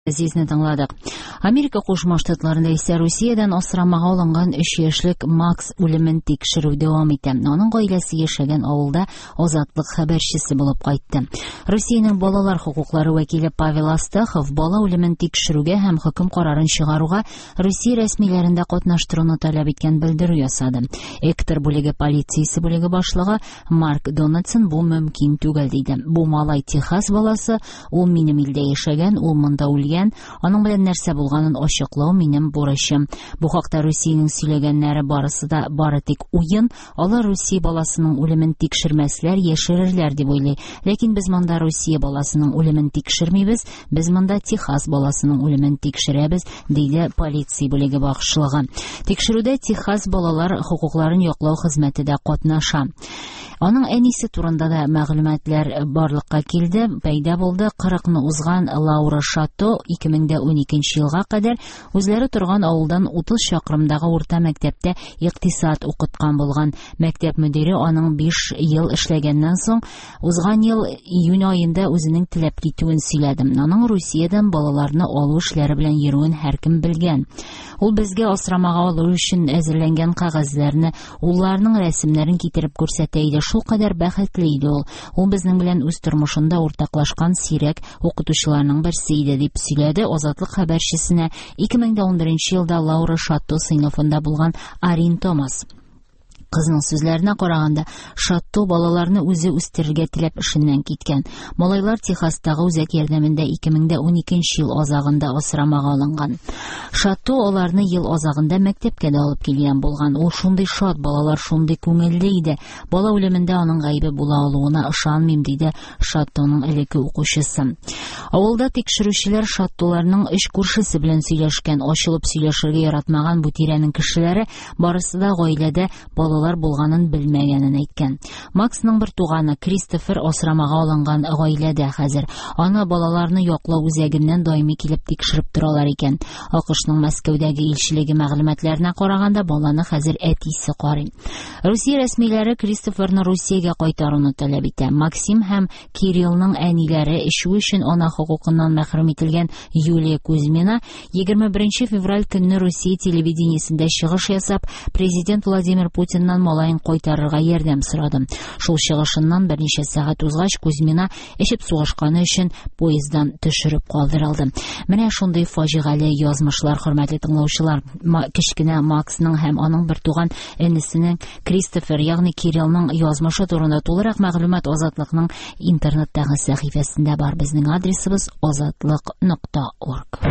Газизне тыңладык. Америка Кушма Штатларында исә Русиядән асрамага алынган 3 яшьлек Макс үлемен тикшерү дәвам итә. Аның гаиләсе яшәгән авылда Азатлык хәбәрчесе булып кайтты. Русиянең балалар хокуклары вәкиле Павел Астахов бала үлемен тикшерүгә һәм хөкем карарын чыгаруга Русия рәсмиләрен дә катнаштыруны таләп иткән белдерү ясады. Эктор бүлеге полициясе бүлеге башлыгы Марк Дональдсон бу мөмкин түгел диде. Бу малай Техас баласы, ул минем илдә яшәгән, ул монда үлгән. Аның белән нәрсә булганын ачыклау минем бурычым. Бу хакта Русиянең сөйләгәннәре барысы да бары тик уен. Алар Русия баласының үлемен тикшермәсләр, яшерерләр дип уйлый. Ләкин без монда Русия баласының үлемен тикшермибез, без монда Техас баласының үлемен тикшерәбез, диде полиция бүлеге башлыгы. Тикшерүдә Техас балалар хокукларын яклау хезмәте дә катнаша. Аның әнисе турында да мәгълүматлар барлыкка килде, пәйда булды. 40-ны узган Лаура Шато 2012 елга кадәр үзләре торган авылдан 30 чакрымдагы урта мәктәптә икътисад укыткан булган. Мәктәп мөдире аның 5 ел эшләгәннән соң узган ел июнь аенда үзенең теләп китүен сөйләде. Аның Русиядән балаларны алу эшләре белән йөрүен һәркем белгән. Ул безгә асрамага алу өчен әзерләнгән кәгазьләрне, улларының рәсемнәрен китереп күрсәтә иде. Шул кадәр бәхетле иде ул. Ул безнең белән үз тормышында уртаклашкан сирәк укытучыларның берсе иде, дип сөйләде Азатлык хәбәрчесенә 2011 елда Лаура Шатто сыйныфында булган Арин Томас. Кызның сүзләренә караганда, Шатто балаларны үзе үстерергә теләп эшеннән киткән. Малайлар Техастагы үзәк ярдәмендә 2012 ел азагында асрамага алынган. Шатто аларны ел азагында мәктәпкә дә алып килгән булган. Ул шундый шат, балалар шундый күңелле иде. Бала үлемендә аның гаебе була алуына ышанмыйм, диде Шаттоның элекке укучысы. Авылда тикшерүчеләр Шаттоларның өч күршесе белән сөйләшкән. Ачылып сөйләшергә яратмаган бу тирәнең кешеләре барысы да гаиләдә балалар булганын белмәгәнен әйткән. Максның бер туганы Кристофер асрамага алынган гаиләдә хәзер. Аны балаларны яклау үзәгеннән даими килеп тикшереп торалар икән. АКШның Мәскәүдәге илчелеге мәгълүматларына караганда, баланы хәзер әтисе карый. Русия рәсмиләре Кристоферны Русиягә кайтаруны таләп итә. Максим һәм Кириллның әниләре эчү өчен ана хокукыннан мәхрүм ителгән Юлия Кузьмина 21 февраль көнне Русия телевидениесендә чыгыш ясап, президент Владимир Путиннан малаен кайтарырга ярдәм сорады. Шул чыгышыннан берничә сәгать узгач, Кузьмина эчеп сугышканы өчен поезддан төшереп калдырылды. Менә шундый фаҗигале язмышлар, хөрмәтле тыңлаучылар. Кечкенә Максның һәм аның бертуган энесенең Кристофер, ягъни Кириллның язмышы турында тулырак мәгълүмат Азатлыкның интернеттагы сәхифәсендә бар. Безнең адресыбыз азатлык.орг.